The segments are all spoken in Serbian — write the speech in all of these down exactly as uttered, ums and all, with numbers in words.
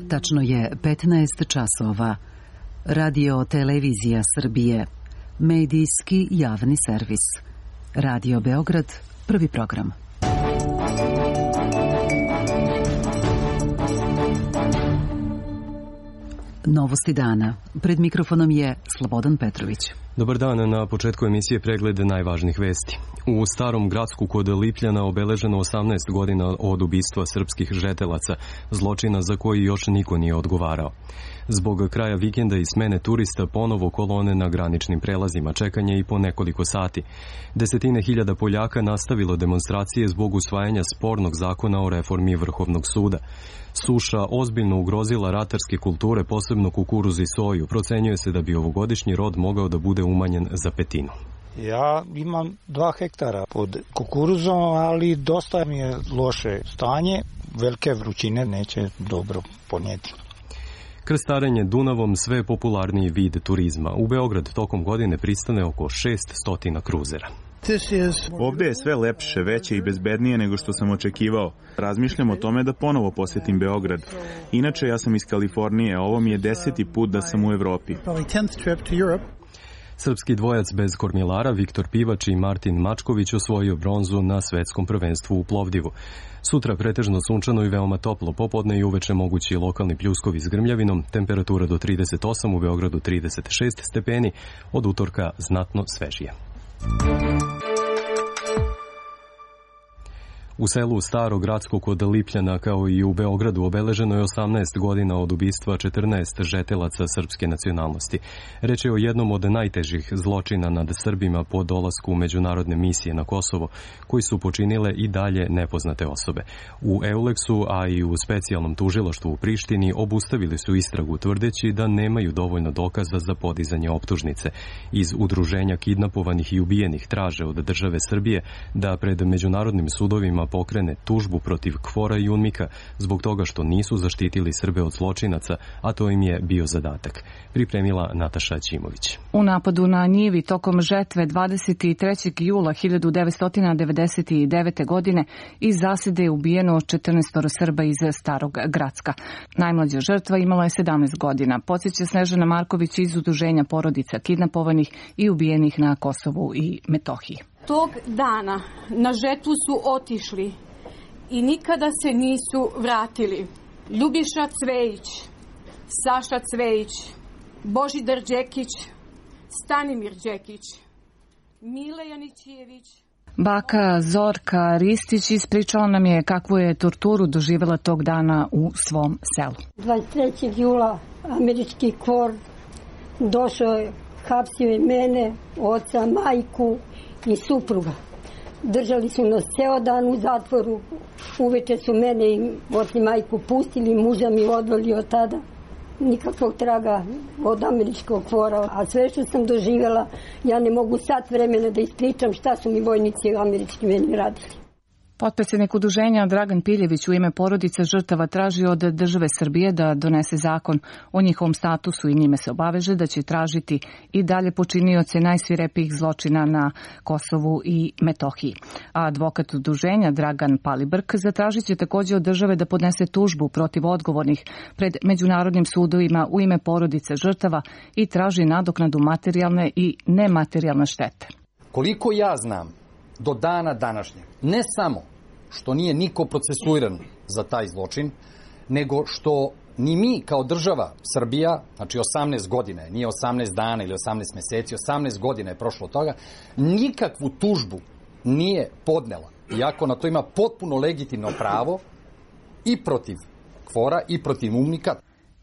Tačno je petnaest časova. Radio Televizija Srbije. Medijski javni servis. Radio Beograd, prvi program. Novosti dana. Pred mikrofonom je Slobodan Petrović. Dobar dan, na početku emisije pregled najvažnijih vesti. U Starom Gracku kod Lipljana obeleženo osamnaest godina od ubistva srpskih žetelaca, zločina za koji još niko nije odgovarao. Zbog kraja vikenda i smene turista ponovo kolone na graničnim prelazima, čekanje i po nekoliko sati. Desetine hiljada Poljaka nastavilo demonstracije zbog usvajanja spornog zakona o reformi Vrhovnog suda. Suša ozbiljno ugrozila ratarske kulture, posebno kukuruz i soju. Procenjuje se da bi ovogodišnji rod mogao da bude umanjen za petinu. Ja imam dva hektara pod kukuruzom, ali dosta mi je loše stanje. Velike vrućine neće dobro ponijeti. Krstarenje Dunavom sve je popularniji vid turizma. U Beograd tokom godine pristane oko šesnaest kruzera. Ovde je sve lepše, veće i bezbednije nego što sam očekivao. Razmišljam o tome da ponovo posetim Beograd. Inače, ja sam iz Kalifornije, a ovo mi je deseti put da sam u Evropi. Srpski dvojac bez kormilara Viktor Pivač i Martin Mačković osvojio bronzu na svetskom prvenstvu u Plovdivu. Sutra pretežno sunčano i veoma toplo, popodne i uveče mogući lokalni pljuskovi s grmljavinom, temperatura do trideset osam, u Beogradu trideset šest stepeni, od utorka znatno svežije. U selu Staro Gracko kod Lipljana, kao i u Beogradu, obeleženo je osamnaest godina od ubistva četrnaest žetelaca srpske nacionalnosti. Reč je o jednom od najtežih zločina nad Srbima po dolasku u međunarodne misije na Kosovo, koji su počinile i dalje nepoznate osobe. U Euleksu, a i u specijalnom tužilaštvu u Prištini obustavili su istragu, tvrdeći da nemaju dovoljno dokaza za podizanje optužnice. Iz udruženja kidnapovanih i ubijenih traže od države Srbije da pred međunarodnim sudovima pokrene tužbu protiv Kvora i Unmika zbog toga što nisu zaštitili Srbe od zločinaca, a to im je bio zadatak. Pripremila Nataša Ćimović. U napadu na njivi tokom žetve dvadeset trećeg jula hiljadu devetsto devedeset devete. godine iz zasede je ubijeno četrnaest Srba iz Starog Gracka. Najmlađa žrtva imala je sedamnaest godina. Podsjeća Snežana Marković iz udruženja porodica kidnapovanih i ubijenih na Kosovu i Metohiji. Tog dana na žetvu su otišli i nikada se nisu vratili Ljubiša Cvejić, Saša Cvejić, Božidar Đekić, Stanimir Đekić, Mile Janićijević. Baka Zorka Ristić ispričala nam je kakvu je torturu doživjela tog dana u svom selu. dvadeset trećeg jula američki Kvor došao je, hapsio je mene, oca, majku i supruga. Držali su nas ceo dan u zatvoru. Uveče su mene i oci majku pustili, muža mi odveli od tada. Nikakvog traga od američkog Kvora. A sve što sam doživjela, ja ne mogu sat vremena da ispričam šta su mi vojnici američki meni radili. Potpredsjednik udruženja Dragan Piljević u ime porodice žrtava traži od države Srbije da donese zakon o njihovom statusu i njime se obaveže da će tražiti i dalje počinioce najsvirepijih zločina na Kosovu i Metohiji. A advokat udruženja Dragan Palibrk zatražit će također od države da podnese tužbu protiv odgovornih pred međunarodnim sudovima u ime porodice žrtava i traži nadoknadu materijalne i nematerijalne štete. Koliko ja znam, do dana današnjeg, ne samo što nije niko procesuiran za taj zločin, nego što ni mi kao država Srbija, znači osamnaest godine, nije osamnaest dana ili osamnaest meseci, osamnaest godina je prošlo od toga, nikakvu tužbu nije podnela. Iako na to ima potpuno legitimno pravo i protiv Kvora i protiv Unmika.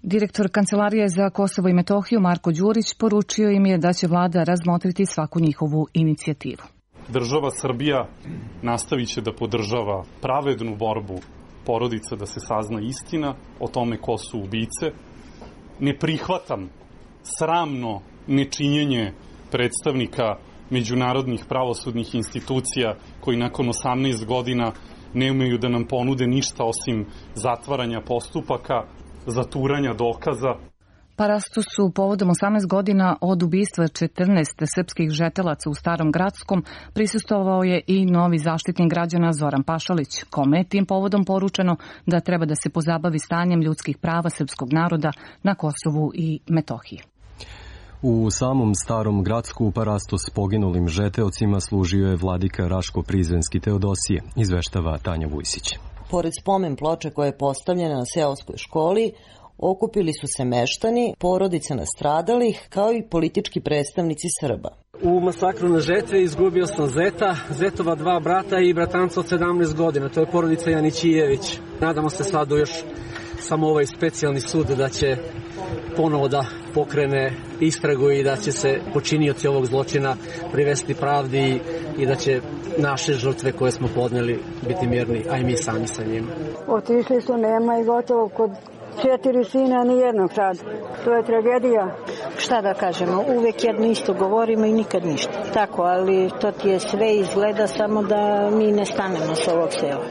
Direktor Kancelarije za Kosovo i Metohiju Marko Đurić poručio im je da će vlada razmotriti svaku njihovu inicijativu. Država Srbija nastavit će da podržava pravednu borbu porodica da se sazna istina o tome ko su ubice. Ne prihvatam sramno nečinjenje predstavnika međunarodnih pravosudnih institucija koji nakon osamnaest godina ne umeju da nam ponude ništa osim zatvaranja postupaka, zaturanja dokaza. Parastosu povodom osamnaest godina od ubistva četrnaest srpskih žetelaca u Starom Gradskom prisustvovao je i novi zaštitnik građana Zoran Pašalić, kome je tim povodom poručeno da treba da se pozabavi stanjem ljudskih prava srpskog naroda na Kosovu i Metohiji. U samom Starom Gradsku Parastos poginulim žeteocima služio je vladika Raško-Prizrenski Teodosije, izveštava Tanja Vujsić. Pored spomen ploče koja je postavljena na seoskoj školi, okupili su se meštani, porodice nastradalih, kao i politički predstavnici Srba. U masakru na žetve izgubio sam zeta, zetova dva brata i bratanca od sedamnaest godina. To je porodica Janićijević. Nadamo se sad u još samo ovaj specijalni sud da će ponovo da pokrene istragu i da će se počinioci ovog zločina privesti pravdi i da će naše žrtve koje smo podneli biti mirni, a i mi sami sa njima. Otišli su, nema i gotovo kod četiri sina, ni jednog sad. To je tragedija. Šta da kažemo, uvek jedno isto govorimo i nikad ništa. Tako, ali to ti je sve izgleda samo da mi ne stanemo s ovog sela.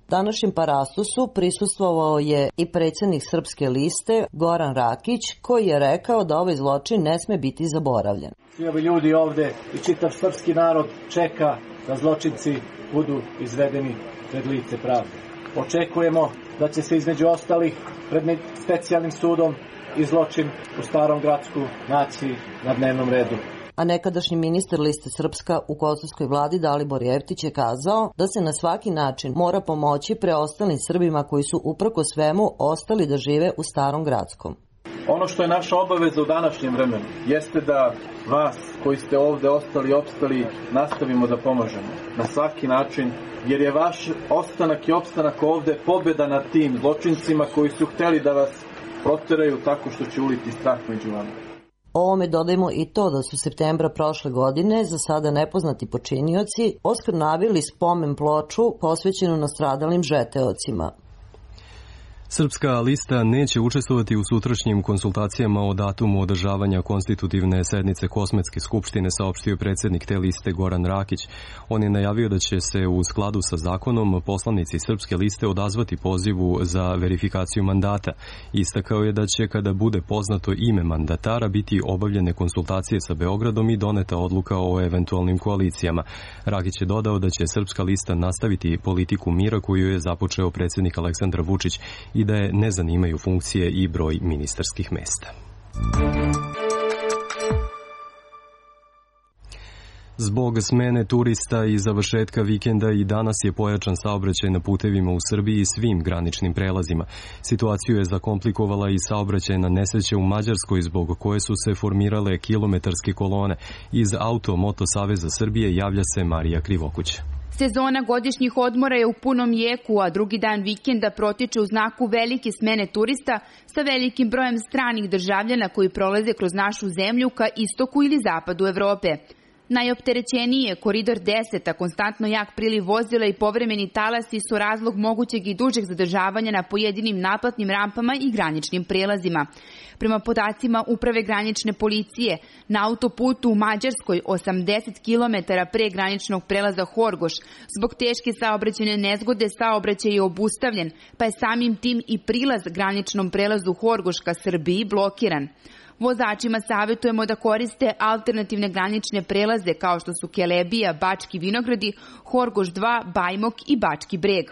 Današnjem Parastosu prisustvovao je i predsjednik Srpske liste Goran Rakić, koji je rekao da ovaj zločin ne sme biti zaboravljen. Svi ovi ljudi ovde i čitav srpski narod čeka da zločinci budu izvedeni pred lice pravde. Očekujemo da će se između ostalih pred specijalnim sudom i zločin u Starom Gradsku naći na dnevnom redu. A nekadašnji ministar liste Srpska u kosovskoj vladi Dalibor Jevtić je kazao da se na svaki način mora pomoći preostalim Srbima koji su uprko svemu ostali da žive u Starom Gradskom. Ono što je naša obaveza u današnjem vremenu jeste da vas koji ste ovde ostali i opstali nastavimo da pomožemo na svaki način, jer je vaš ostanak i opstanak ovde pobjeda nad tim zločincima koji su hteli da vas proteraju tako što će uliti strah među vama. Ovome dodajmo i to da su septembra prošle godine za sada nepoznati počinioci oskrnavili spomen ploču posvećenu nastradalim žeteocima. Srpska lista neće učestvovati u sutrašnjim konsultacijama o datumu održavanja konstitutivne sednice Kosmetske skupštine, saopštio predsjednik te liste Goran Rakić. On je najavio da će se u skladu sa zakonom poslanici Srpske liste odazvati pozivu za verifikaciju mandata. Istakao je da će, kada bude poznato ime mandatara, biti obavljene konsultacije sa Beogradom i doneta odluka o eventualnim koalicijama. Rakić je dodao da će Srpska lista nastaviti politiku mira koju je započeo predsjednik Aleksandar Vučić i da je ne zanimaju funkcije i broj ministarskih mesta. Zbog smene turista i završetka vikenda i danas je pojačan saobraćaj na putevima u Srbiji i svim graničnim prelazima. Situaciju je zakomplikovala i saobraćajna nesreća u Mađarskoj, zbog koje su se formirale kilometarske kolone. Iz Auto-Moto Saveza Srbije javlja se Marija Krivokuć. Sezona godišnjih odmora je u punom jeku, a drugi dan vikenda protiče u znaku velike smene turista sa velikim brojem stranih državljana koji prolaze kroz našu zemlju ka istoku ili zapadu Evrope. Najopterećeniji je Koridor deset, a konstantno jak priliv vozila i povremeni talasi su razlog mogućeg i dužeg zadržavanja na pojedinim naplatnim rampama i graničnim prelazima. Prema podacima Uprave granične policije, na autoputu u Mađarskoj osamdeset kilometara pre graničnog prelaza Horgoš, zbog teške saobraćajne nezgode saobraćaj je obustavljen, pa je samim tim i prilaz graničnom prelazu Horgoš ka Srbiji blokiran. Vozačima savjetujemo da koriste alternativne granične prelaze kao što su Kelebija, Bački Vinogradi, Horgoš dva, Bajmok i Bački Breg.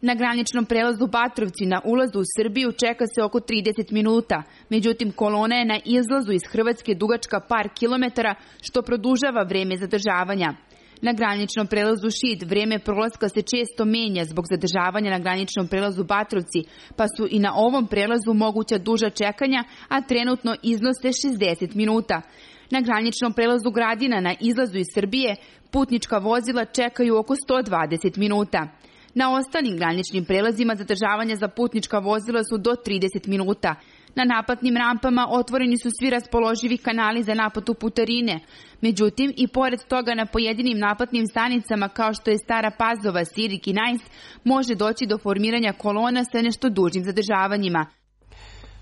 Na graničnom prelazu Batrovci na ulazu u Srbiju čeka se oko trideset minuta, međutim kolona je na izlazu iz Hrvatske dugačka par kilometara, što produžava vreme zadržavanja. Na graničnom prelazu Šid vreme prolaska se često menja zbog zadržavanja na graničnom prelazu Batrovci, pa su i na ovom prelazu moguća duža čekanja, a trenutno iznose šezdeset minuta. Na graničnom prelazu Gradina na izlazu iz Srbije putnička vozila čekaju oko sto dvadeset minuta. Na ostalim graničnim prelazima zadržavanja za putnička vozila su do trideset minuta. Na naplatnim rampama otvoreni su svi raspoloživi kanali za naplatu putarine. Međutim, i pored toga na pojedinim naplatnim stanicama kao što je Stara Pazova, Sirik i Najs može doći do formiranja kolona sa nešto dužim zadržavanjima.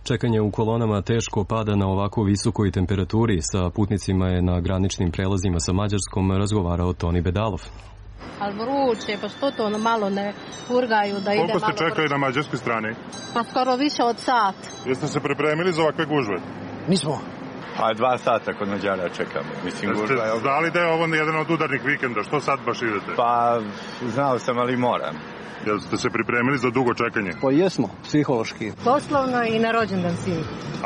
Čekanje u kolonama teško pada na ovako visokoj temperaturi. Sa putnicima je na graničnim prelazima sa Mađarskom razgovarao Toni Bedalov. Ali vruće, pa što to ono malo ne urgaju da ide malo... Koliko ste čekali na mađarskoj strani? Pa skoro više od sat. Jeste se pripremili za ovakve gužve? Nismo. Pa dva sata kod Mađara čekamo. Mislim, ste je... znali da je ovo jedan od udarnih vikenda? Što sad baš idete? Pa, znao sam, ali moram. Jel ste se pripremili za dugo čekanje? Pa jesmo, psihološki. Poslovno i na rođendan svi.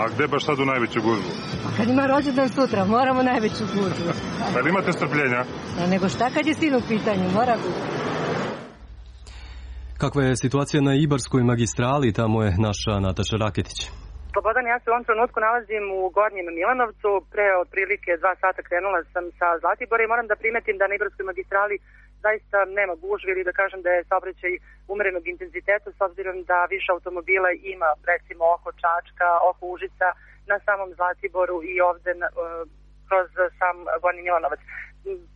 A gde baš sad u najveću gužvu? A kad ima rođendan sutra, moramo najveću gužvu. Pa li imate strpljenja? A nego šta kad je sin u pitanju, mora biti. Kakva je situacija na Ibarskoj magistrali, tamo je naša Nataša Raketić. Slobodan, ja se u ovom trenutku nalazim u Gornjem Milanovcu. Pre otprilike dva sata krenula sam sa Zlatibora i moram da primetim da na Ibarskoj magistrali zaista nema gužve ili da kažem da je saobraćaj umerenog intenziteta s obzirom da više automobila ima recimo oko Čačka, oko Užica, na samom Zlatiboru i ovde na, kroz sam Gornji Milanovac.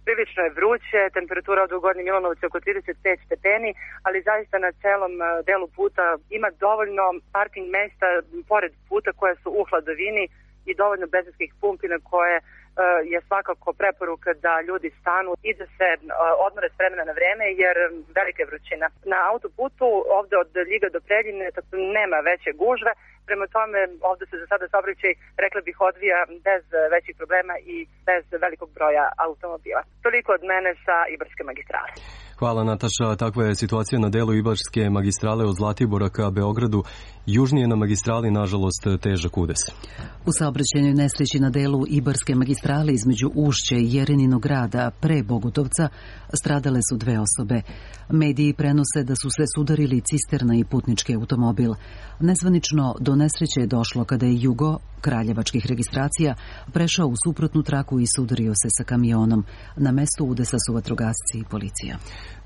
Prilično je vruće, temperatura od u Gornji Milanovcu oko trideset pet stepeni, ali zaista na celom delu puta ima dovoljno parking mesta pored puta koje su u hladovini i dovoljno benzinskih pumpi na koje je svakako preporuka da ljudi stanu i da se odmore s vremena na vreme jer velika je vrućina. Na autoputu ovde od Ljiga do Preljine nema veće gužve, prema tome ovde se za sada saobraćaj, rekla bih, odvija bez većih problema i bez velikog broja automobila. Toliko od mene sa Ibarske magistrale. Hvala Nataša, takva je situacija na delu Ibarske magistrale od Zlatibora ka Beogradu. Južnije na magistrali, nažalost, težak udes. U saobraćajnoj nesreći na delu Ibarske magistrale između Ušće i Jereninog grada pre Bogutovca stradale su dve osobe. Mediji prenose da su se sudarili cisterna i putnički automobil. Nezvanično do nesreće je došlo kada je Jugo, kraljevačkih registracija, prešao u suprotnu traku i sudario se sa kamionom. Na mestu udesa su vatrogasci i policija.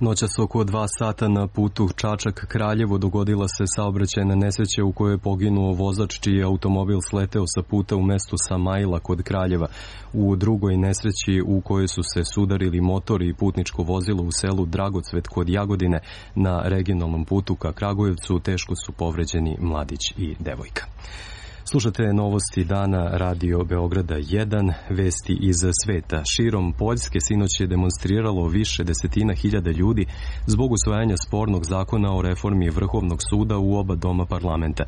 Noćas oko dva sata na putu Čačak-Kraljevo dogodila se saobraćajna nesreća u kojoj je poginuo vozač čiji je automobil sleteo sa puta u mestu Samajla kod Kraljeva. U drugoj nesreći u kojoj su se sudarili motor i putničko vozilo u selu Dragocvet kod Jagodine na regionalnom putu ka Kragujevcu teško su povređeni mladić i devojka. Slušate novosti dana Radio Beograda jedan, vesti iz sveta. Širom Poljske sinoć je demonstriralo više desetina hiljada ljudi zbog usvajanja spornog zakona o reformi Vrhovnog suda u oba doma parlamenta.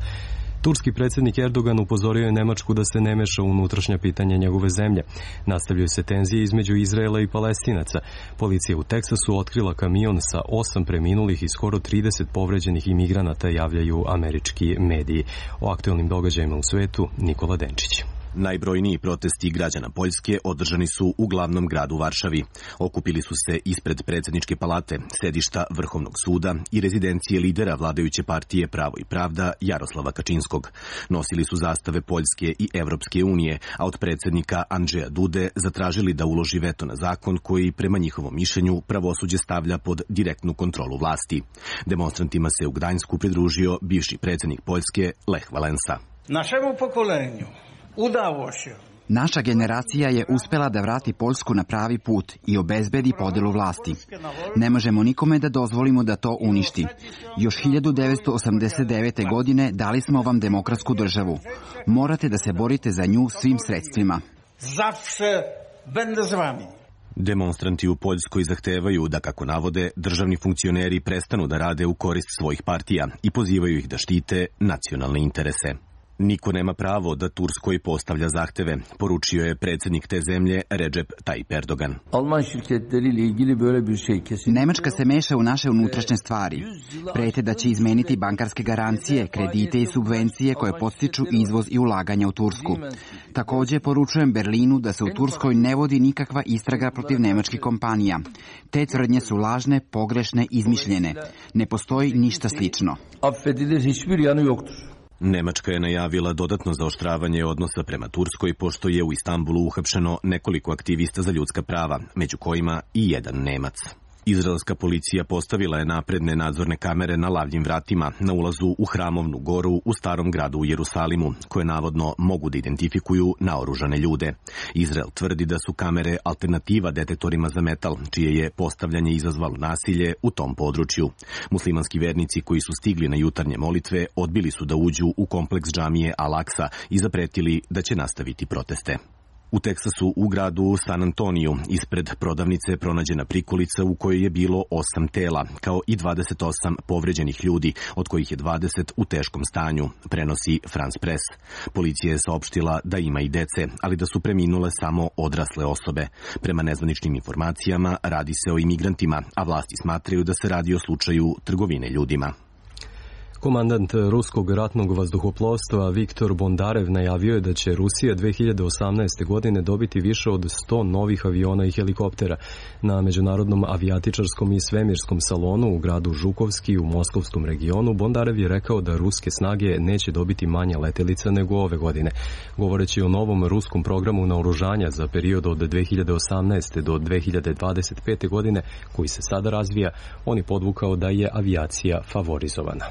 Turski predsjednik Erdogan upozorio je Nemačku da se ne meša u unutrašnja pitanja njegove zemlje. Nastavljaju se tenzije između Izraela i Palestinaca. Policija u Teksasu otkrila kamion sa osam preminulih i skoro trideset povređenih imigranata, javljaju američki mediji. O aktualnim događajima u svetu Nikola Denčić. Najbrojniji protesti građana Poljske održani su u glavnom gradu Varšavi. Okupili su se ispred predsjedničke palate, sedišta Vrhovnog suda i rezidencije lidera vladajuće partije Pravo i pravda Jaroslava Kačinskog. Nosili su zastave Poljske i Evropske unije, a od predsjednika Andžeja Dude zatražili da uloži veto na zakon koji, prema njihovom mišljenju, pravosuđe stavlja pod direktnu kontrolu vlasti. Demonstrantima se u Gdańsku pridružio bivši predsjednik Poljske Lech Valensa. Našemu pokolenju udalo se. Naša generacija je uspela da vrati Poljsku na pravi put i obezbedi podelu vlasti. Ne možemo nikome da dozvolimo da to uništi. Još hiljadu devetsto osamdeset devete. godine dali smo vam demokratsku državu. Morate da se borite za nju svim sredstvima. Zawsze będę z wami. Demonstranti u Poljskoj zahtevaju da, kako navode, državni funkcioneri prestanu da rade u korist svojih partija i pozivaju ih da štite nacionalne interese. Niko nema pravo da Turskoj postavlja zahteve, poručio je predsjednik te zemlje Recep Tayyip Erdogan. Nemačka se meša u naše unutrašnje stvari. Prete da će izmeniti bankarske garancije, kredite i subvencije koje podstiču izvoz i ulaganja u Tursku. Također poručujem Berlinu da se u Turskoj ne vodi nikakva istraga protiv nemačkih kompanija. Te tvrdnje su lažne, pogrešne, izmišljene. Ne postoji ništa slično. Nemačka je najavila dodatno zaoštravanje odnosa prema Turskoj, pošto je u Istanbulu uhapšeno nekoliko aktivista za ljudska prava, među kojima i jedan Nemac. Izraelska policija postavila je napredne nadzorne kamere na lavljim vratima na ulazu u Hramovnu goru u starom gradu u Jerusalimu, koje navodno mogu da identifikuju naoružane ljude. Izrael tvrdi da su kamere alternativa detektorima za metal, čije je postavljanje izazvalo nasilje u tom području. Muslimanski vernici koji su stigli na jutarnje molitve odbili su da uđu u kompleks džamije Al-Aksa i zapretili da će nastaviti proteste. U Teksasu u gradu San Antoniju ispred prodavnice je pronađena prikolica u kojoj je bilo osam tela, kao i dvadeset osam povređenih ljudi, od kojih je dvadeset u teškom stanju, prenosi France Press. Policija je saopštila da ima i dece, ali da su preminule samo odrasle osobe. Prema nezvaničnim informacijama radi se o imigrantima, a vlasti smatraju da se radi o slučaju trgovine ljudima. Komandant ruskog ratnog vazduhoplovstva Viktor Bondarev najavio je da će Rusija dve hiljade osamnaeste. godine dobiti više od sto novih aviona i helikoptera. Na Međunarodnom avijatičarskom i svemirskom salonu u gradu Žukovski u Moskovskom regionu Bondarev je rekao da ruske snage neće dobiti manje letelica nego ove godine. Govoreći o novom ruskom programu naoružanja za period od dve hiljade osamnaeste. do dve hiljade dvadeset pete. godine, koji se sada razvija, on je podvukao da je avijacija favorizovana.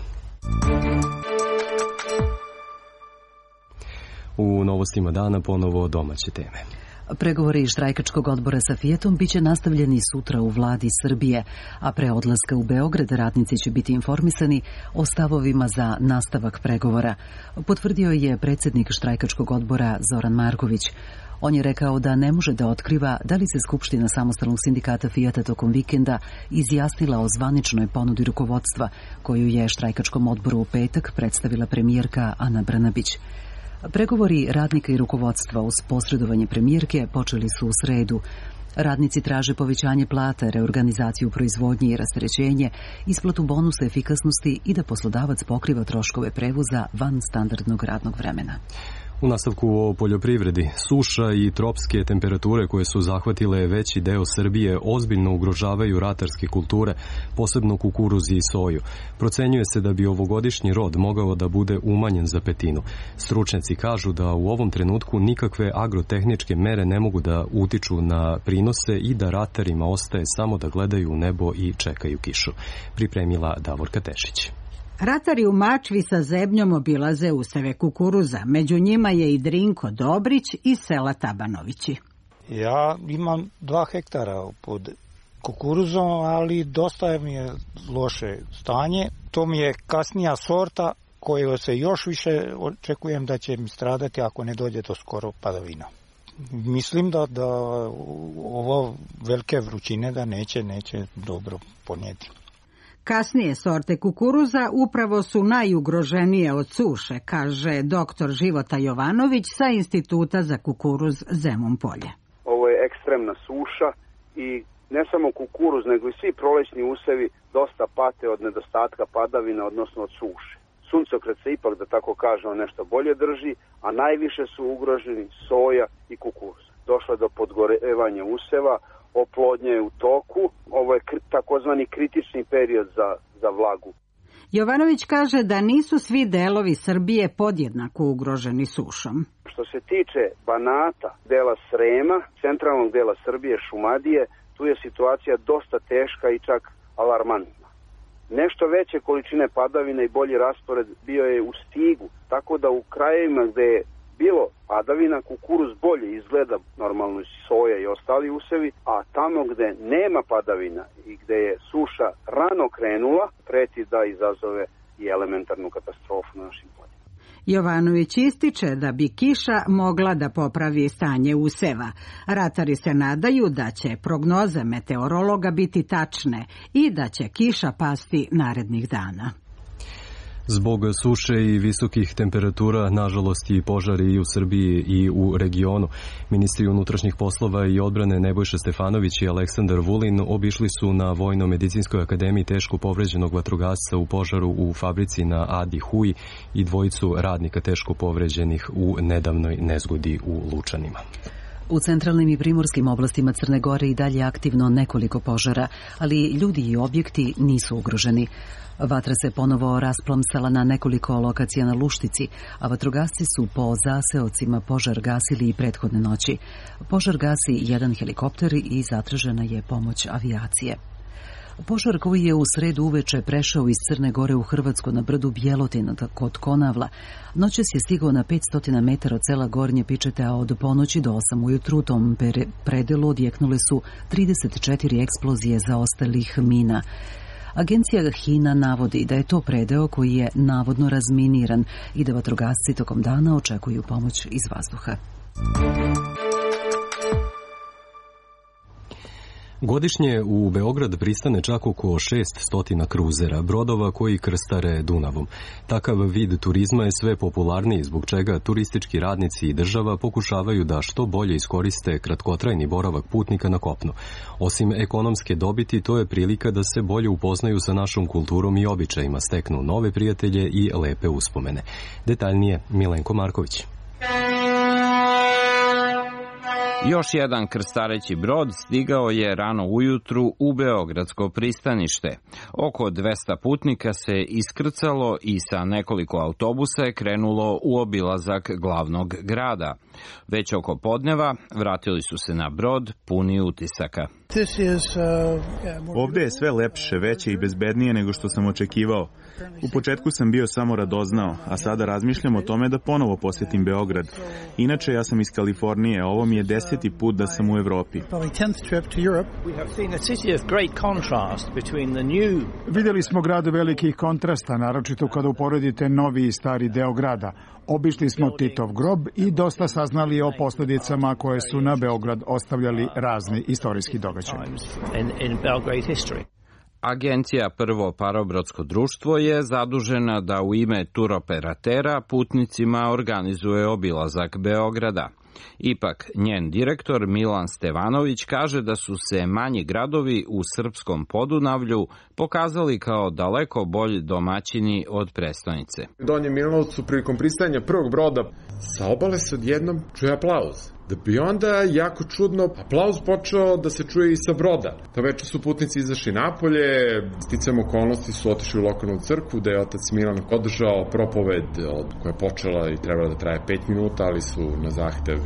U novostima dana ponovo domaće teme. Pregovori štrajkačkog odbora sa Fijatom biće nastavljeni sutra u vladi Srbije, a pre odlaska u Beograd radnici će biti informisani o stavovima za nastavak pregovora. Potvrdio je predsjednik štrajkačkog odbora Zoran Marković. On je rekao da ne može da otkriva da li se Skupština samostalnog sindikata Fijata tokom vikenda izjasnila o zvaničnoj ponudi rukovodstva, koju je štrajkačkom odboru u petak predstavila premijerka Ana Brnabić. Pregovori radnika i rukovodstva uz posredovanje premijerke počeli su u sredu. Radnici traže povećanje plata, reorganizaciju proizvodnje i rasterećenje, isplatu bonusa efikasnosti i da poslodavac pokriva troškove prevoza van standardnog radnog vremena. U nastavku o poljoprivredi, suša i tropske temperature koje su zahvatile veći deo Srbije ozbiljno ugrožavaju ratarske kulture, posebno kukuruz i soju. Procenjuje se da bi ovogodišnji rod mogao da bude umanjen za petinu. Stručnjaci kažu da u ovom trenutku nikakve agrotehničke mere ne mogu da utiču na prinose i da ratarima ostaje samo da gledaju u nebo i čekaju kišu. Pripremila Davorka Tešić. Ratari u Mačvi sa zebnjom obilaze useve kukuruza. Među njima je i Drinko Dobrić iz sela Tabanovići. Ja imam dva hektara pod kukuruzom, ali dosta mi je loše stanje. To mi je kasnija sorta koju se još više očekujem da će mi stradati ako ne dođe do skoro padavina. Mislim da, da ovo velike vrućine da neće, neće dobro ponijeti. Kasnije sorte kukuruza upravo su najugroženije od suše, kaže doktor Života Jovanović sa Instituta za kukuruz Zemun Polje. Ovo je ekstremna suša i ne samo kukuruz, nego i svi prolećni usevi dosta pate od nedostatka padavina, odnosno od suše. Suncokret se ipak, da tako kažemo, nešto bolje drži, a najviše su ugroženi soja i kukuruz. Došlo je do podgorevanja useva, oplodnja je u toku, ovo je takozvani kritični period za, za vlagu. Jovanović kaže da nisu svi delovi Srbije podjednako ugroženi sušom. Što se tiče Banata, dela Srema, centralnog dela Srbije, Šumadije, tu je situacija dosta teška i čak alarmantna. Nešto veće količine padavina i bolji raspored bio je u Stigu, tako da u krajevima gde je bilo padavina, kukuruz bolje izgleda, normalno soja i ostali usevi, a tamo gde nema padavina i gde je suša rano krenula, preti da izazove i elementarnu katastrofu na našim poljima. Jovanović ističe da bi kiša mogla da popravi stanje useva. Ratari se nadaju da će prognoze meteorologa biti tačne i da će kiša pasti narednih dana. Zbog suše i visokih temperatura, nažalost i požari i u Srbiji i u regionu. Ministri unutrašnjih poslova i odbrane Nebojša Stefanović i Aleksandar Vulin obišli su na Vojno-medicinskoj akademiji teško povređenog vatrogasca u požaru u fabrici na Adi Huj i dvojicu radnika teško povređenih u nedavnoj nezgodi u Lučanima. U centralnim i primorskim oblastima Crne Gore i dalje aktivno nekoliko požara, ali ljudi i objekti nisu ugroženi. Vatra se ponovo rasplomsala na nekoliko lokacija na Luštici, a vatrogasci su po zaseocima požar gasili i prethodne noći. Požar gasi jedan helikopter i zatražena je pomoć avijacije. Požar koji je u sredu uveče prešao iz Crne Gore u Hrvatsku na brdu Bjelotin kod Konavla, noćas je stigao na petsto metara od sela Gornje Pičete, a od ponoći do osam ujutru u tom predelu odjeknule su trideset četiri eksplozije zaostalih mina. Agencija Hina navodi da je to predeo koji je navodno razminiran i da vatrogasci tokom dana očekuju pomoć iz vazduha. Godišnje u Beograd pristane čak oko šesnaest kruzera, brodova koji krstare Dunavom. Takav vid turizma je sve popularniji, zbog čega turistički radnici i država pokušavaju da što bolje iskoriste kratkotrajni boravak putnika na kopnu. Osim ekonomske dobiti, to je prilika da se bolje upoznaju sa našom kulturom i običajima, steknu nove prijatelje i lepe uspomene. Detaljnije Milenko Marković. Još jedan krstareći brod stigao je rano ujutru u beogradsko pristanište. Oko dvesta putnika se iskrcalo i sa nekoliko autobusa je krenulo u obilazak glavnog grada. Već oko podneva vratili su se na brod puni utisaka. Ovde je sve lepše, veće i bezbednije nego što sam očekivao. U početku sam bio samo radoznao, a sada razmišljam o tome da ponovo posjetim Beograd. Inače, ja sam iz Kalifornije, a ovo mi je deseti put da sam u Evropi. Vidjeli smo grad velikih kontrasta, naročito kada uporedite novi i stari deo grada. Obišli smo Titov grob i dosta saznali o posljedicama koje su na Beograd ostavljali razni istorijski događaji. Agencija Prvo parobrodsko društvo je zadužena da u ime turoperatera putnicima organizuje obilazak Beograda. Ipak, njen direktor Milan Stevanović kaže da su se manji gradovi u srpskom Podunavlju pokazali kao daleko bolji domaćini od prestonice. U Donjem Milanovcu prilikom pristajanja prvog broda sa obale se odjednom čuje aplauz. Da bi onda jako čudno aplauz počeo da se čuje i sa broda. Ta večer su putnici izašli napolje, sticam okolnosti su otišli u lokalnu crkvu gde je otac Milan održao propoved koja je počela i trebala da traje pet minuta, ali su na zahtev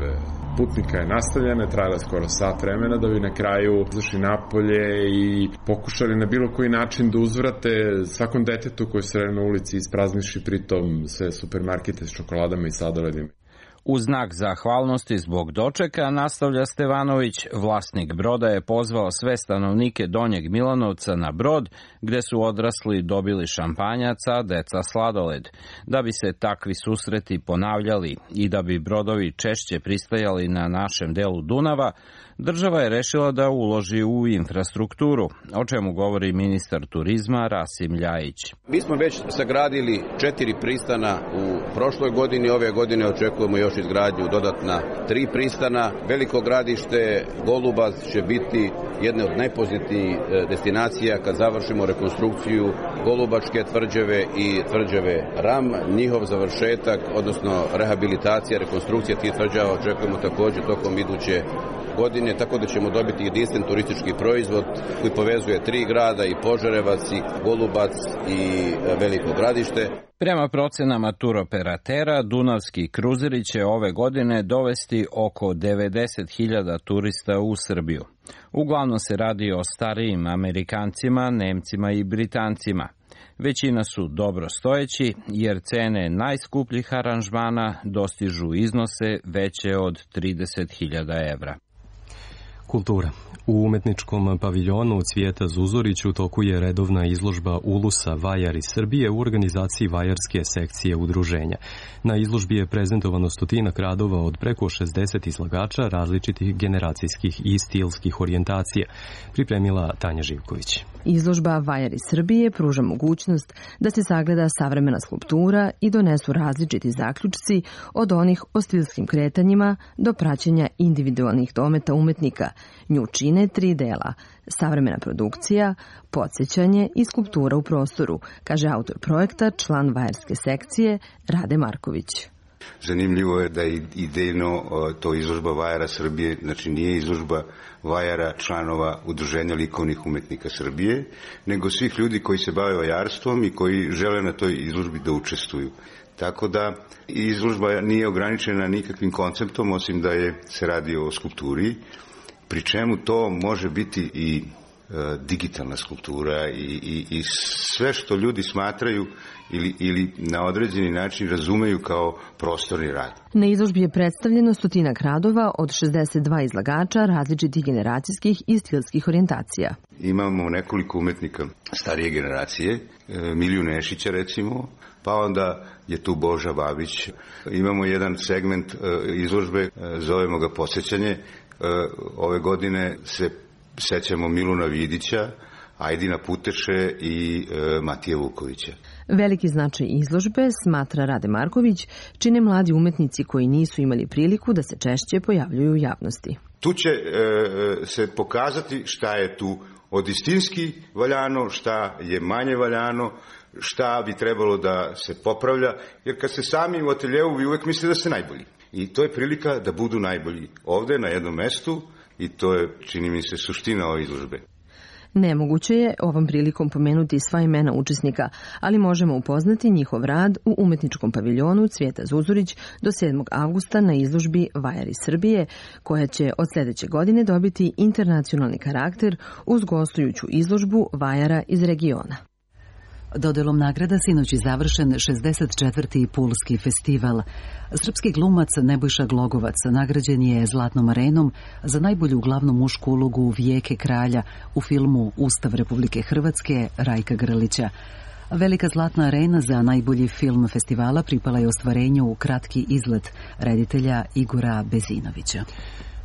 putnika je nastavljene, trajala skoro sat vremena da bi na kraju izašli napolje i pokušali na bilo koji način da uzvrate svakom detetu koji se sredi na ulici isprazniši pritom sve supermarkete s čokoladama i sladoledima. U znak zahvalnosti zbog dočeka, nastavlja Stevanović, vlasnik broda je pozvao sve stanovnike Donjeg Milanovca na brod, gde su odrasli dobili šampanjaca, deca sladoled. Da bi se takvi susreti ponavljali i da bi brodovi češće pristajali na našem delu Dunava, država je rešila da uloži u infrastrukturu, o čemu govori ministar turizma Rasim Ljajić. Mi smo već sagradili četiri pristana u prošloj godini, ove godine očekujemo još izgradnju dodatna tri pristana. Veliko gradište Golubac će biti jedna od najpozitivnijih destinacija kad završimo rekonstrukciju Golubačke tvrđave i tvrđave Ram. Njihov završetak, odnosno rehabilitacija, rekonstrukcija tih tvrđava očekujemo također tokom iduće godine, tako da ćemo dobiti jedinstven turistički proizvod koji povezuje tri grada, i Požarevac, i Golubac, i Veliko Gradište. Prema procenama turoperatera, dunavski kruzeri će ove godine dovesti oko devedeset hiljada turista u Srbiju. Uglavnom se radi o starijim Amerikancima, Nemcima i Britancima. Većina su dobro stojeći, jer cene najskupljih aranžmana dostižu iznose veće od trideset hiljada evra. Kultura. U umetničkom paviljonu Cvijeta Zuzorić u toku je redovna izložba Ulusa Vajari Srbije u organizaciji Vajarske sekcije udruženja. Na izložbi je prezentovano stotinak radova od preko šezdeset izlagača različitih generacijskih i stilskih orijentacija, pripremila Tanja Živković. Izložba Vajari Srbije pruža mogućnost da se sagleda savremena skulptura i donesu različiti zaključci od onih o stilskim kretanjima do praćenja individualnih dometa umetnika. Nju čine tri dela: savremena produkcija, podsjećanje i skulptura u prostoru, kaže autor projekta, član Vajarske sekcije Rade Marković. Zanimljivo je da je idejno to izložba Vajara Srbije, znači nije izložba vajara članova Udruženja likovnih umetnika Srbije, nego svih ljudi koji se bave vajarstvom i koji žele na toj izložbi da učestvuju. Tako da izložba nije ograničena nikakvim konceptom, osim da je se radi o skulpturi, pri čemu to može biti i e, digitalna skulptura i, i, i sve što ljudi smatraju ili, ili na određeni način razumeju kao prostorni rad. Na izložbi je predstavljeno stotinak radova od šezdeset dva izlagača različitih generacijskih i stilskih orijentacija. Imamo nekoliko umetnika starije generacije, e, Miliju Nešića recimo, pa onda je tu Boža Babić. Imamo jedan segment e, izložbe, e, zovemo ga Posjećanje. Ove godine se sećamo Miluna Vidića, Ajdina Puteše i e, Matija Vukovića. Veliki značaj izložbe, smatra Rade Marković, čine mladi umetnici koji nisu imali priliku da se češće pojavljuju u javnosti. Tu će e, se pokazati šta je tu od istinski valjano, šta je manje valjano, šta bi trebalo da se popravlja, jer kad ste sami u ateljevu vi uvek mislite da ste najbolji. I to je prilika da budu najbolji ovde na jednom mestu i to je, čini mi se, suština ove izložbe. Nemoguće je ovom prilikom pomenuti sva imena učesnika, ali možemo upoznati njihov rad u umetničkom paviljonu Cvijeta Zuzurić do sedmog avgusta na izložbi Vajari Srbije, koja će od sledeće godine dobiti internacionalni karakter uz gostujuću izložbu vajara iz regiona. Dodelom nagrada sinoć je završen šezdeset četvrti Pulski festival. Srpski glumac Nebojša Glogovac nagrađen je Zlatnom arenom za najbolju glavnu mušku ulogu Vijeke kralja u filmu Ustav Republike Hrvatske Rajka Grlića. Velika Zlatna arena za najbolji film festivala pripala je ostvarenju Kratki izlet reditelja Igora Bezinovića.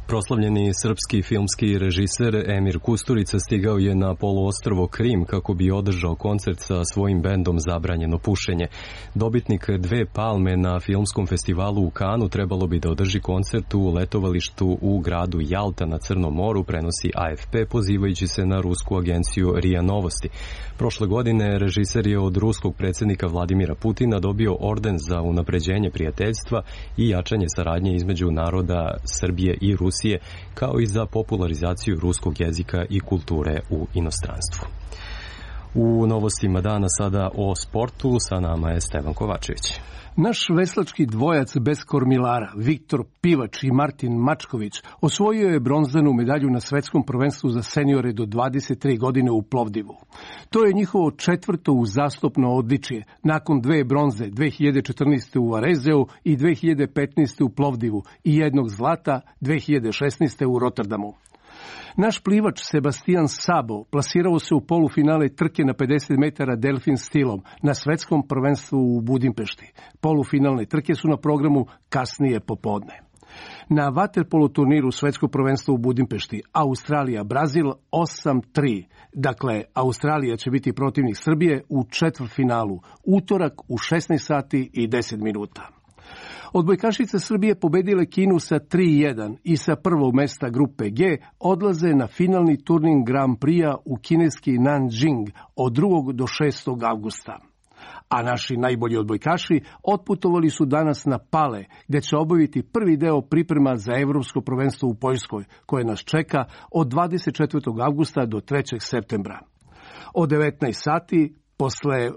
Proslavljeni srpski filmski režiser Emir Kusturica stigao je na poluostrvo Krim kako bi održao koncert sa svojim bendom Zabranjeno pušenje. Dobitnik dve palme na filmskom festivalu u Kanu trebalo bi da održi koncert u letovalištu u gradu Jalta na Crnom moru, prenosi A F P pozivajući se na rusku agenciju R I A Novosti. Prošle godine režiser je od ruskog predsjednika Vladimira Putina dobio orden za unapređenje prijateljstva i jačanje saradnje između naroda Srbije i Rusije, kao i za popularizaciju ruskog jezika i kulture u inostranstvu. U novostima dana sada o sportu, sa nama je Stevan Kovačević. Naš veslački dvojac bez kormilara, Viktor Pivač i Martin Mačković, osvojio je bronzanu medalju na svetskom prvenstvu za seniore do dvadeset tri godine u Plovdivu. To je njihovo četvrto uzastopno odličje, nakon dve bronze dve hiljade četrnaeste. u Varezeu i dve hiljade petnaeste. u Plovdivu i jednog zlata dve hiljade šesnaeste. u Rotterdamu. Naš plivač Sebastian Sabo plasirao se u polufinale trke na pedeset metara delfin stilom na svetskom prvenstvu u Budimpešti. Polufinalne trke su na programu kasnije popodne. Na vaterpolo turniru svetskog prvenstva u Budimpešti Australija-Brazil osam tri. Dakle, Australija će biti protivnik Srbije u četvrtfinalu, utorak u šesnaest sati i deset minuta. Odbojkašice Srbije pobedile Kinu sa tri jedan i sa prvog mesta grupe G odlaze na finalni turnir Grand Prix-a u kineski Nanjing od drugog do šestog avgusta. A naši najbolji odbojkaši otputovali su danas na Pale, gde će obaviti prvi deo priprema za evropsko prvenstvo u Poljskoj, koje nas čeka od dvadeset četvrtog avgusta do trećeg septembra. Od devetnaest sati, posle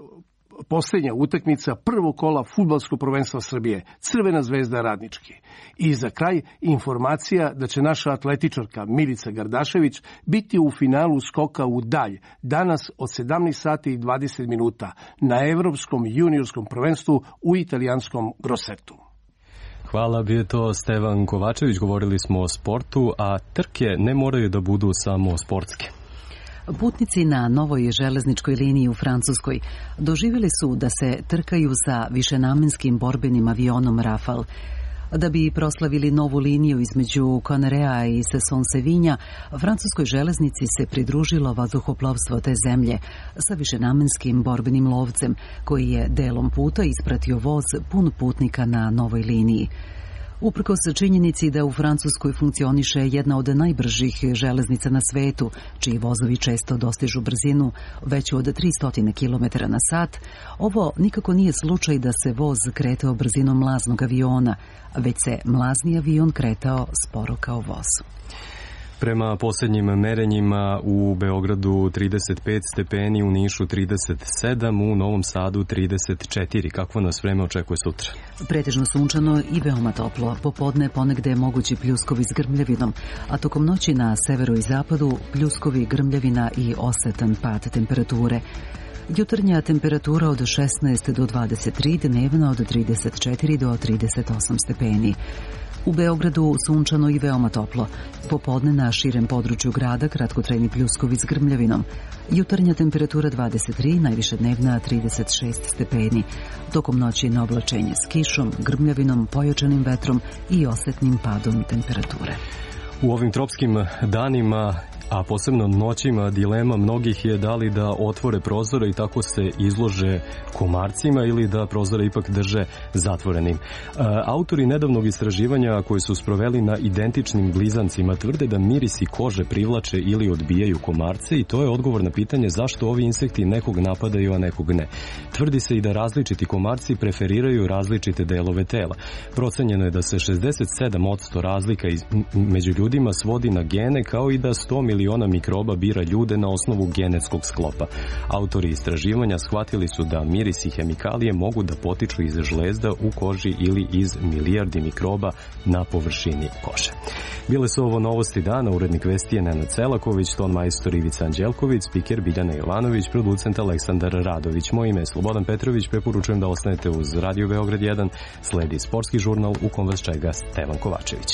posljednja utakmica prvog kola fudbalskog prvenstva Srbije, Crvena zvezda Radnički. I za kraj informacija da će naša atletičarka Milica Gardašević biti u finalu skoka u dalj danas od sedamnaest sati i dvadeset minuta na Evropskom juniorskom prvenstvu u italijanskom Grossetu. Hvala, bio je to Stevan Kovačević, govorili smo o sportu, a trke ne moraju da budu samo sportske. Putnici na novoj železničkoj liniji u Francuskoj doživjeli su da se trkaju sa višenamenskim borbenim avionom Rafale. Da bi proslavili novu liniju između Connerea i Sesson-Sevinja, francuskoj železnici se pridružilo vazduhoplovstvo te zemlje sa višenamenskim borbenim lovcem, koji je delom puta ispratio voz pun putnika na novoj liniji. Uprkos činjenici da u Francuskoj funkcioniše jedna od najbržih železnica na svetu, čiji vozovi često dostižu brzinu veću od tristo kilometara na sat, ovo nikako nije slučaj da se voz kretao brzinom mlaznog aviona, već se mlazni avion kretao sporo kao voz. Prema posljednjim merenjima u Beogradu trideset pet stepeni, u Nišu trideset sedam, u Novom Sadu trideset četiri. Kakvo nas vreme očekuje sutra? Pretežno sunčano i veoma toplo. Popodne ponegde je mogući pljuskovi s grmljavinom, a tokom noći na severu i zapadu pljuskovi, grmljavina i osetan pad temperature. Jutarnja temperatura od šesnaest do dvadeset tri, dnevna od trideset četiri do trideset osam stepeni. U Beogradu sunčano i veoma toplo. Popodne na širem području grada kratkotrajni pljuskovi s grmljavinom. Jutarnja temperatura dvadeset tri, najviše dnevna trideset šest stepeni. Tokom noći na oblačenje s kišom, grmljavinom, pojačanim vetrom i osetnim padom temperature. U ovim tropskim danima a posebno noćima dilema mnogih je da li da otvore prozore i tako se izlože komarcima ili da prozore ipak drže zatvorenim. Autori nedavnog istraživanja koji su sproveli na identičnim blizancima tvrde da mirisi kože privlače ili odbijaju komarce i to je odgovor na pitanje zašto ovi insekti nekog napadaju, a nekog ne. Tvrdi se i da različiti komarci preferiraju različite delove tela. Procenjeno je da se šezdeset sedam posto razlika iz, među ljudima svodi na gene, kao i da sto miliona mikroba bira ljude na osnovu genetskog sklopa. Autori istraživanja shvatili su da miris i hemikalije mogu da potiču iz žlezda u koži ili iz milijardi mikroba na površini kože. Bile su ovo novosti dana, urednik vesti je Nenad Selaković, ton majstor Ivica Anđelković, spiker Biljana Jovanović, producent Aleksandar Radović. Moje ime je Slobodan Petrović, preporučujem da ostanete uz Radio Beograd jedan, sledi sportski žurnal u kom vas čega Stevan Kovačević.